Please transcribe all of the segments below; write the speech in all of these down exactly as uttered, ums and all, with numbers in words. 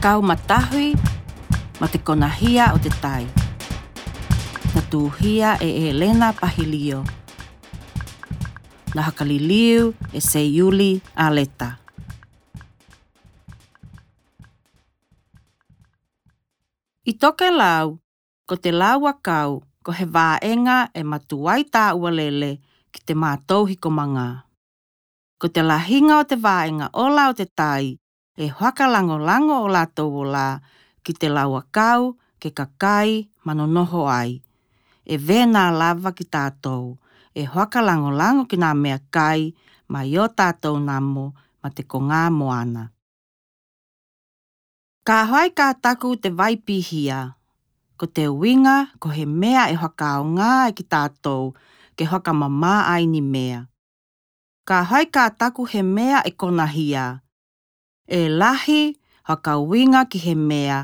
ʻAkau Matahui ma te Konahia o te Tai. Na tuʻuhia ʻe Elena Pahilio. Na fakaliliu ʻe Seiuli Aleta. ʻI Tokelau, ko te lau ʻakau ko he vaʻenga ʻe matuai taʻualele ki te mātou hikomanga. Ko te lahinga o te vaʻenga ola o te tai, ʻe fakalagolago ʻo lātou ola ki te lau ʻakau ke kakai ma nonoho ai. ʻE vena lava ki tātou, ʻe fakalagolago ki nā meʻakai mai ʻo tātou namo ma te kongā moana. Ka fai ka taku te vai pihia, ko te uinga ko he meʻa ʻe fakaaoga ai ki tātou ke fakamamā ai ni meʻa. Ka fai ka taku he meʻa ʻe konahia, ʻe lahi fakauinga ki he meʻa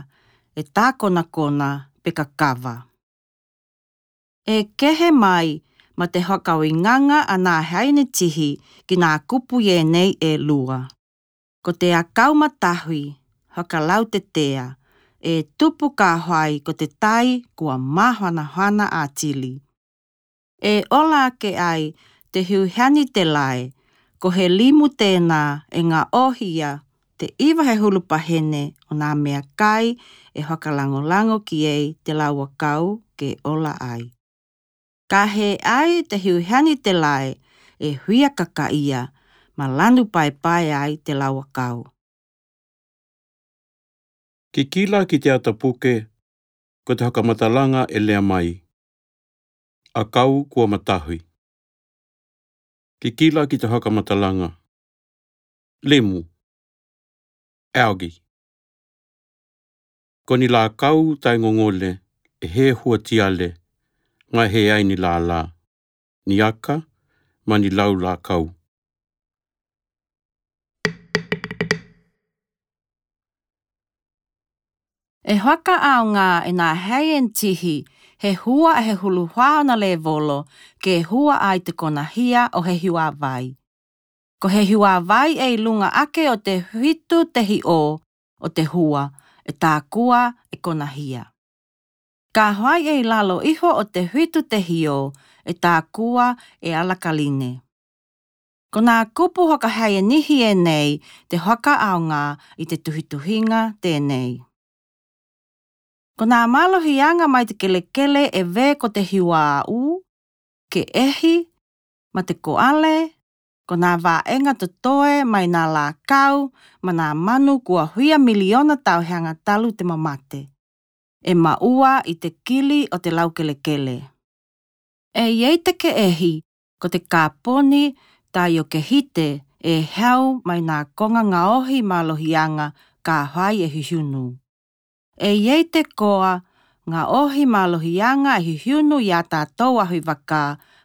ʻe tākonakona pe kakava. ʻE kehe mai ma te fakauingaga a nā hainetihi ki nā kupu ʻi ʻenei ʻe lua. Ko te ʻakau matahui, fakalautetea, ʻe tupu ka fai ko te tai kua māfanafana ʻatili. ʻE ola ake ai te hiuhani te lae, ko he limu tēnā ʻe gaʻohia te ʻiva he hulu pahene ʻo nā meʻakai ʻe fakalagolago ki ai te lau ʻakau ke ola ai. Ka fai te hiuhani te lae ʻe fia kakaʻia ma lanu paepae ai te lau ʻakau. Kikila ki te ata puke, ko te fakamatalaga ʻe lea mai. ʻAkau kua matahui. Kikila ki te fakamatalaga. Limu. Algae. Ko ni lākau taigogole ʻe he hua tiale, gae he ai ni lālā, ni aka, ma ni lau lākau. ʻE fakaaoga ʻe nā hainetihi he hua ʻe he hulu fā ona levolo ke hua ai te konahia ʻo he hiuavai. Ko he hiuavai ʻe ʻi luga ake o te fitu te hiʻo o te hua ʻe tākua ʻe konahia. Ka fai ʻe ʻi lalo ifo o te fitu te hiʻo ʻe tākua ʻe alakaline. Ko nā kupu fakahainetihi ʻenei te fakaaoga ʻi te tuhituhiga tenei. Ko nā mālohiaga mai te kelekele ʻe vē ko te hiuaʻu, keʻehi, ma te koʻale, ko nā vaʻenga totoe mai nā lākau ma nā manu kua fia miliona tauhi aga talu te mamate. ʻE maʻua ʻi te kili o te lau kelekele. ʻE ʻi ai te keʻehi, ko te kaponi taiokehite ʻe hau mai nā koga gaohi mālohiaga ka fai ʻe hihiunu. ʻE ʻi ai te koa gaohi mālohiaga ʻe hihiunu ia tātou ʻahu ʻi vaka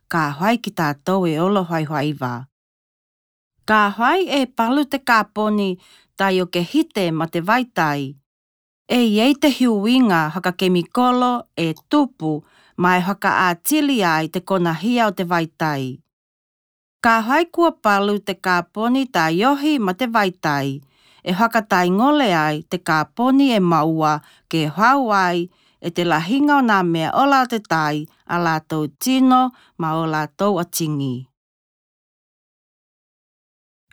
ka fai ki tātou e olo faifaiva. Ka fai ʻe palu te kaponi taiokehite ma te vaitai, ʻe ʻi ai te hiuiga fakakemikolo ʻe tupu ma ʻe fakaʻatili ai te konahia o te vaitai. Ka fai kua palu te kaponi taiohi ma te vaitai, ʻe fakataigole ai te kaponi ʻe maʻua ke hau ai ʻe te lahiga o nā meʻa ola o te tai a lātou tino ma o lātou atigi.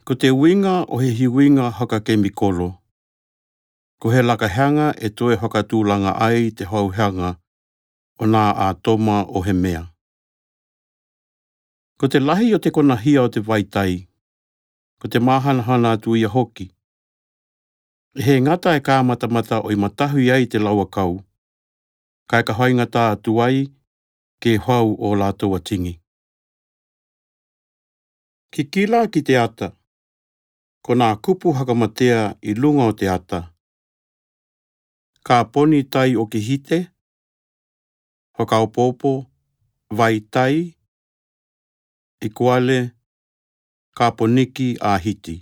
Ko te uiga o he hiuiga fakakemikolo, ko he lakahaga ʻe toe fakatulaga ai te hauhaga o nā ʻātoma o he meʻa. Ko te lahi o te konahia o te vaitai, ko te māhanahana atu ia hoki. ʻE he gata e kamatamata ʻo ʻi matahui ai te lau ʻakau, kae ka faigata atu ai ke fau o lātou atigi. Kikila ki te ata, ko nā kupu fakamatea ʻi luga o te ata. Kaponi taiokehite, fakaopoopo, vaitai, ikuale, kaponiki ʻahiti.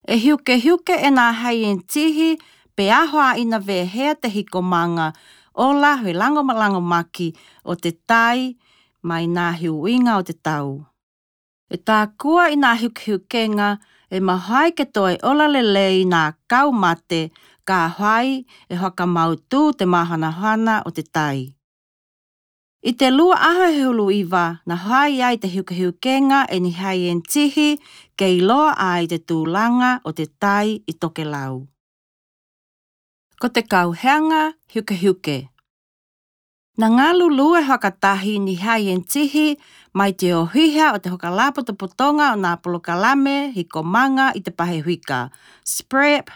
ʻE hiukehiuke ʻe nā hainetihi pe ʻaho ʻa ina vehea te hikomaga ola he lagomaki o te tai mai nā hiuiga o te tau. ʻE tākua ʻi nā hiukehiukega e mahuai ke toe ola lelei nā kau mate, ka hai e fakamautū te māhanahana o te tai. I te lua ʻaho he hulu iva, na hai ai te hiukehiukenga e Nihaien Tihi, ke iloa ai te tūlanga o te tai i tokelau. Ko te kauheanga hiukehiuke. Na ngalulu e fakatahi Nihaien Tihi mai te ohiha o te fakalapotopotonga o nā polokalame hikomanga i te pahe huika, SPREP,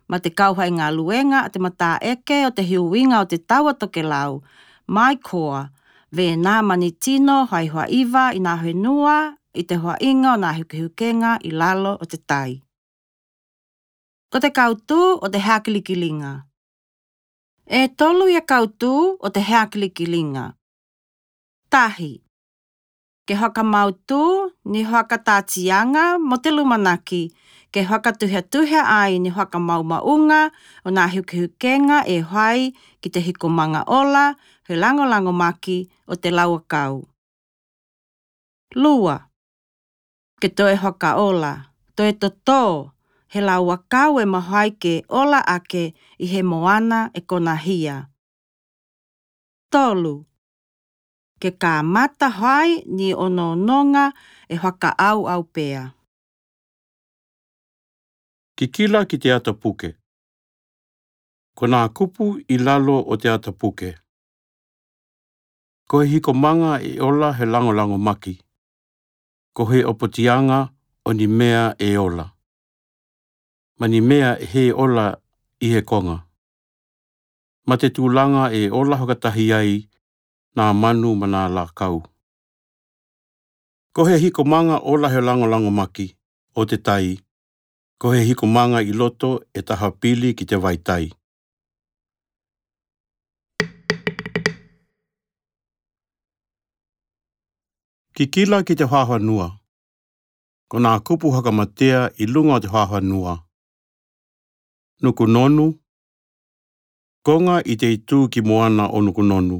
ma te kauhaʻi galuega a te mataʻeke o te hiuiga o te tau a tokelau, mai koa, vena mani tino hai hoa iva i nā henua i te hoaʻiga o nā hiukehiukenga i lalo o te tai. Ko te kautū o te heakilikiliga. E tolu ia kautū o te heakilikiliga. Tahi, ke fakamautū ni fakataʻatiaga mo te lumanaki, ke fakatuhiatuhia ai ni fakamaumauga o nā hiukehiukenga e hai ki te hikomanga ola he lagolagomaki o te lauakau. Lua, ke toe fakaola, toe totō, he lauakau e mahuai ke ola ake i he moana e konahia. Tolu, ke kamata hai ni onoonoga e fakaʻauʻau pea. Kikila ki te ata puke. Ko nā kupu i lalo o te ata puke. Ko he hikomanga e ola he lagolagomaki. Ko he ʻopotiaga o ni mea e ola. Ma ni mea e he ola i he konga. Ma te tūlanga e ola fakatahi ai nā manu ma nā lākau. Ko he hikomanga ola he lagolagomaki o te tai, ko he hikomanga i loto e taha pili ki te vai tai. Kikila ki te fafanua. Ko nā kupu fakamatea i luga o te fafanua. Nukunonu, konga i te itū ki moana o Nukunonu.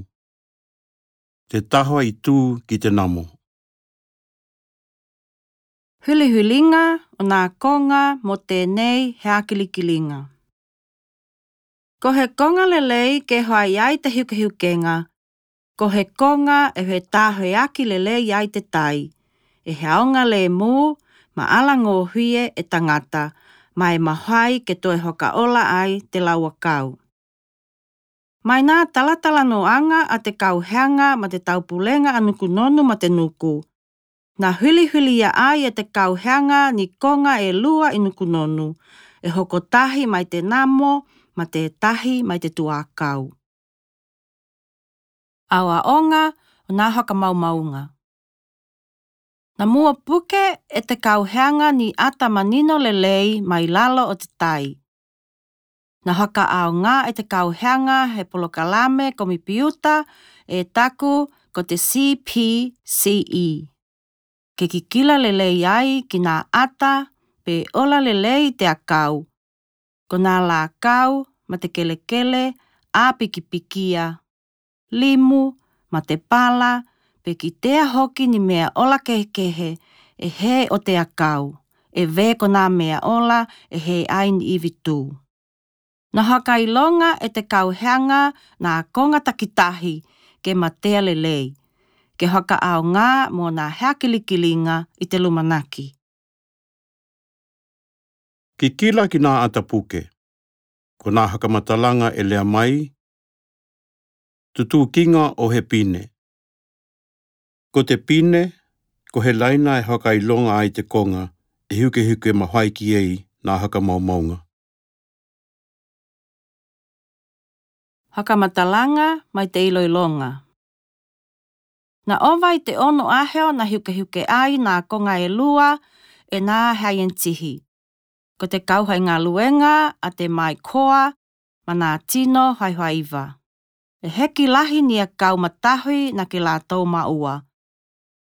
Te taha itū ki te namo. Hulihuliga o nā konga mo tenei heakilikiliga. Ko he konga lelei ke hoai ai te hiukehiukenga, ko he konga e he tahoeaki lelei ai te tai, e he aoga lemū ma alagōhie e tagata, ma e mahuai ke toe fakaola ai te lauakau. Mai nā talatalanoaga a te kauheaga ma te taupulega a Nukunonu ma te Nuku, na hulihulia ai e te kauheaga ni konga e lua i Nukunonu, e hokotahi mai te namo ma te tahi mai te tuakau. Aoaoga o nā fakamaumauga. Na mua puke e te kauheaga ni ata manino lelei mai lalo o te tai. Na fakaʻaoga e te kauheaga he polokalame komipiuta e taku ko te C P C E. Ke kikila lelei ai ki nā ata pe ola lelei te akau. Ko nā lākau ma te kelekele a pikipikia, limu ma te pala, pe kitea hoki ni mea ola kehekehe e he o te akau, e vē ko nā mea ola e he ai ni ivi tū. Na fakailoga e te kauheaga nā konga takitahi ke matea lelei, ke fakaʻaoga mo nā heakilikiliga i te lumanaki. Kikila ki nā ata puke. Ko nā fakamatalaga e lea mai, tutukiga o he pine. Ko te pine, ko he laina e fakailoga ai te konga e hiukehiuke mahuai ki ai nā fakamaumauga. Fakamatalaga mai te iloiloga. Na ova i te ono ʻaho na hiukehiuke ai nā konga e lua e nā saienitihi. Ko te kauhaʻi galuega a te maikoa ma nā tino hai hoa iva. E heki lahi ni akau matahi na ke lātou maua.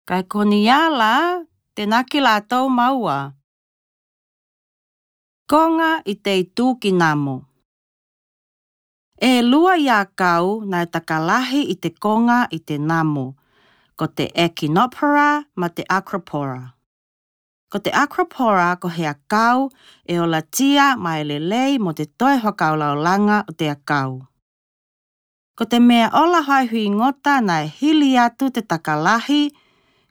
Kae ko ni ala te na ke lātou maua. Konga i te itū ki namo. E lua ia akau na e takalahi i te konga i te namo, ko te Echinopora ma te Acropora. Ko te Acropora ko he akau e olatia mo e lelei mo te toe fakalaulaga o te akau. Ko te meaʻola faʻahingoa naʻe hili atu te takalahi,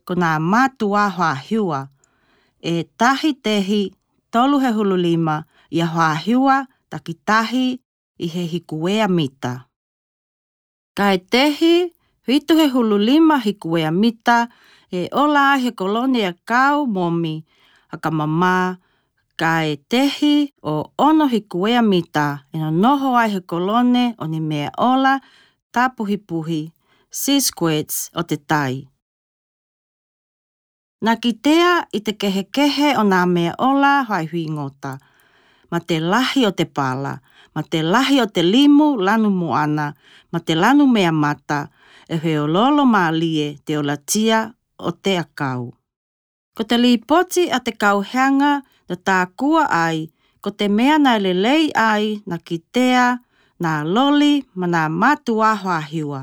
ko nā mātuʻa faʻahiva, e tahi tehi tolu he hulu lima ia faʻahiva takitahi ʻi he hikuea mita. Kae tehi fitu he hulu lima hikuea mita e ola ai he kolone akau momi fakamamā, kae tehi ʻo ono hikuea mita e nonoho ai he kolone ʻo e meaʻola tāpuhipuhi, sea squirts, o te tai. Naʻe kitea ʻi te kehekehe o nā meaʻola faʻahingoa, ma te lahi o te pala, ma te lahi o te limu lanu moana, ma te lanu mea mata, e feoloolo mālie te olatia o te akau. Ko te lipoti a te kauheaga naʻe tākua ai, ko te mea naʻe lelei ai naʻe kitea nā loli ma nā mātuʻa faʻahiva,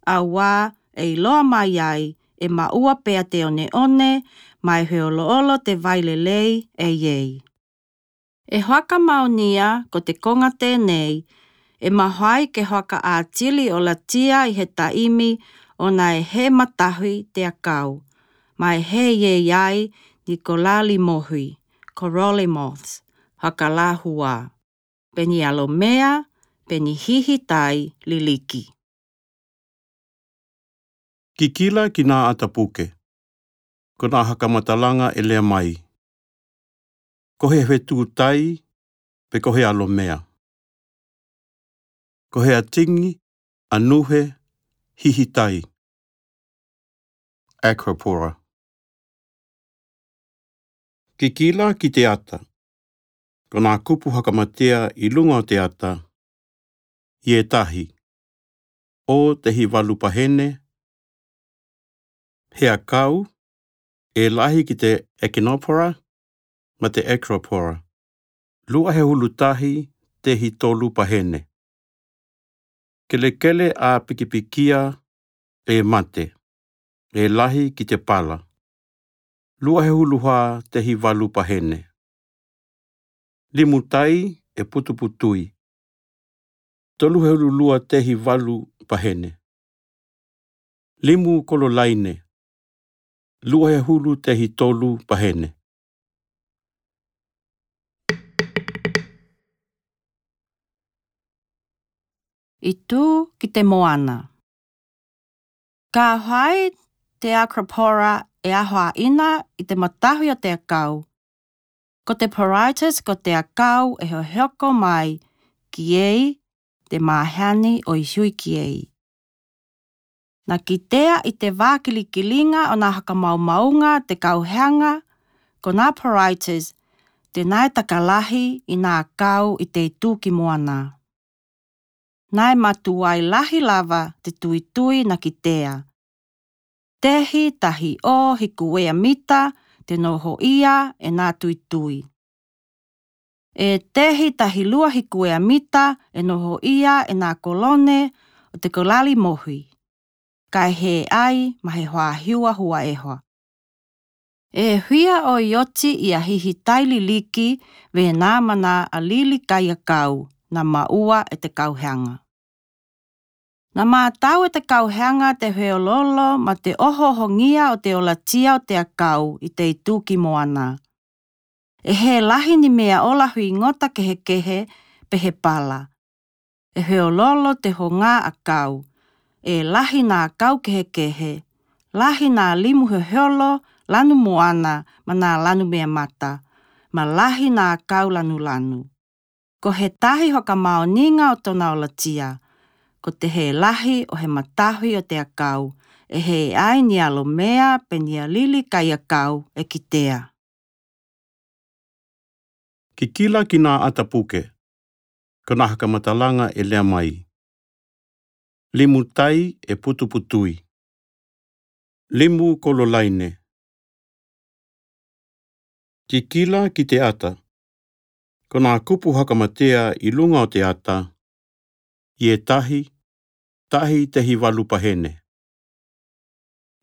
auā e iloa mai ai e maʻua pea te oneone, ma e feoloolo te vai lelei e iei. E fakamaonia ko te konga tenei, e mafai ke fakaatili olatia ʻi he taimi ʻo naʻe hē matahi te akau, ma e hē iei ai ni kolali mohi, corolli moths, fakalahua, pe ni alomea, pe ni hihi tai liliki. Kikila ki nā ʻata puke. Ko nā fakamatalaga e lea mai. Ko he fetū tai, pe ko he alomea. Ko he atigi, anuhe, hihi tai. Acropora. Kikila ki te ʻata. Ko nā kupu fakamatea ʻi luga o te ʻata, ʻi e tahi, ʻo tehi valu pahene, he akau, e lahi ki te Echinopora ma te Acropora, lua he hulu tahi tehi tolu pahene. Kelekele ʻāpikipikia e mate, e lahi ki te pala, lua he hulu fā tehi valu pahene. Limu tai e putuputui, tolu he hulu lua tehi valu pahene. Limu kolo laine, lua he hulu tehi tolu pahene. ʻI tū ki te moana. Ka fai te Acropora e ahoaʻina ʻi te matahi o te akau, ko te porites ko te akau e hohoko mai ki ei, te maheni ʻo e hui ki ei. Naʻe kitea ʻi te vākilikiliga ʻo nā fakamaumauga te kauheaga, ko nā porites, te nā e takalahi ʻi nā akau ʻi te ʻi tū ki moana. Naʻe matuai lahi lava te tuitui naʻe kitea. Tehi tahi ʻo hikuea mita te nohoʻia e nā tuitui. E tehi tahi lua hikuea mita e nohoʻia e nā kolone ʻo te kolali mohi, kae hē ai ma he faʻahiva huaʻeha. E fia ʻoioti ia hihi tai liliki vē nā ma nā alili kai akau naʻe maʻua e te kauheaga. Naʻe mātau e te kauheaga te feoloolo ma te ohoohogia o te olatia o te akau ʻi te ʻi tū ki moana. E hē lahi ni meaʻola fingota kehekehe pe he pala. E feoloolo te hogā akau. E lahi nā akau kehekehe. Lahi nā limu hoholo lanu moana ma nā lanu mea mata. Ma lahi nā akau lanulanu. Ko he tahi fakamaoniga o tōna olatia, ko te hē lahi ʻo he matahi o te akau, e hē ai ni alomea pe ni alili kai akau e kitea. Kikila ki nā ʻata puke, ko nā fakamatalaga e lea mai. Limu tai e putuputui. Limu kolo laine. Kikila ki te ʻata. Ko nā kupu fakamatea ʻi luga o te ʻata, ʻi e tahi, tahi tehi valu pahene.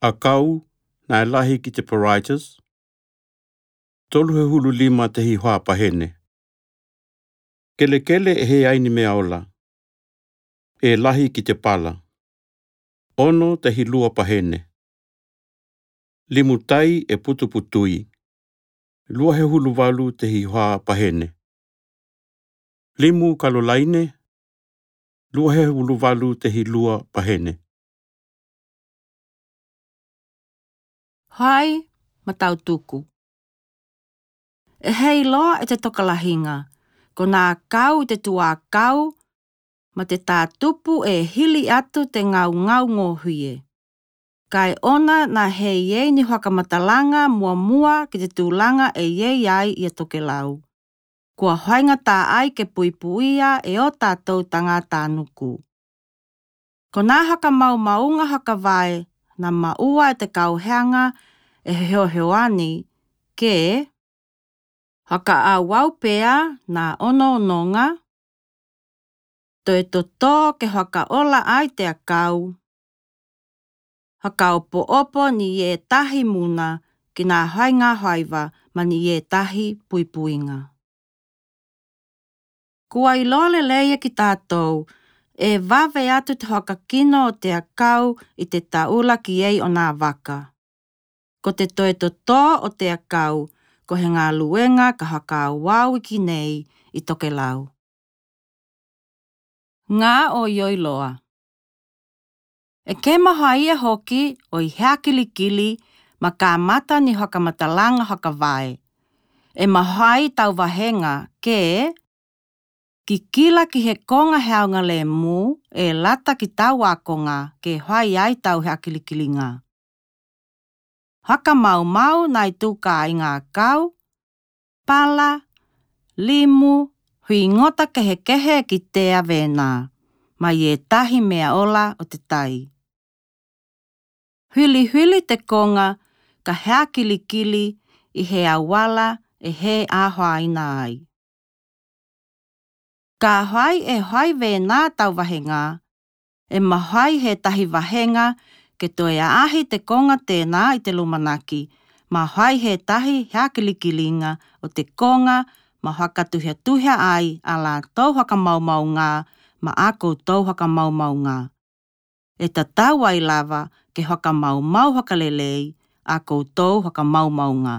Akau, naʻe lahi ki te porites. tolu hehulu lima tehi hoa pahene. Kelekele e he ai ni mea ola. E lahi ki te pala. Ono tehi lua pahene. Limu tai e putuputui. Lua hehulu valu tehi hoa pahene. Limu kalolaine. Lua hehulu valu tehi lua pahene. Hai, matautuku. E heiloa e te tokalahinga, ko nā kau i te tuākau, ma te tātupu e hili atu te ngaungau ngohie. Kae ona nā he iei ni haka matalanga muamua ki te tūlanga e iei ai ia Tokelau. Kua hoainga tā ai ke puipuia e o tātou tangata nuku. Ko nā haka maumaunga haka vae, nā maua e te kauheanga e heoheoani, ke haka auau pea nā ono ononga, toe totō ke haka ola ai te akau, haka opo opo ni e tahi muna ki nā hoainga hoaiva ma ni e tahi puipuinga. Kua iloa lelei e ki tātou, e vave atu te haka kino o te akau i te taula ki ei o nā vaka. Ko te toe totō o te akau, ko he ngā luenga ka haka auau i ki nei i Tokelau. Ngā o ioi loa. E ke mahai e hoki o i hea kilikili ma ka mata ni haka matalanga haka vae. E mahai tau vahenga ke ki kila ki he konga he aunga le mū e lata ki tau a konga ke hoai ai tau hea kilikilinga. Haka maumau nai tū ka i ngā kau, pala, limu, hui ngota kehe kehe ki te avenā, mai e tahi mea ola o te tai. Hwili hwili te konga ka hea kilikili i he awala e he ahoaina ai. Ka hoai e hoai vena tau vahenga, e mahai he tahi vahenga ke toe ahi te konga tēnā i te lumanaki, mahai he tahi hea kilikilinga o te konga ma haka tuhia tuhia ai a la tau haka maumau ngā ma a koutou haka maumau ngā. E tatau ai lava ke haka maumau haka lelei a koutou haka maumau ngā.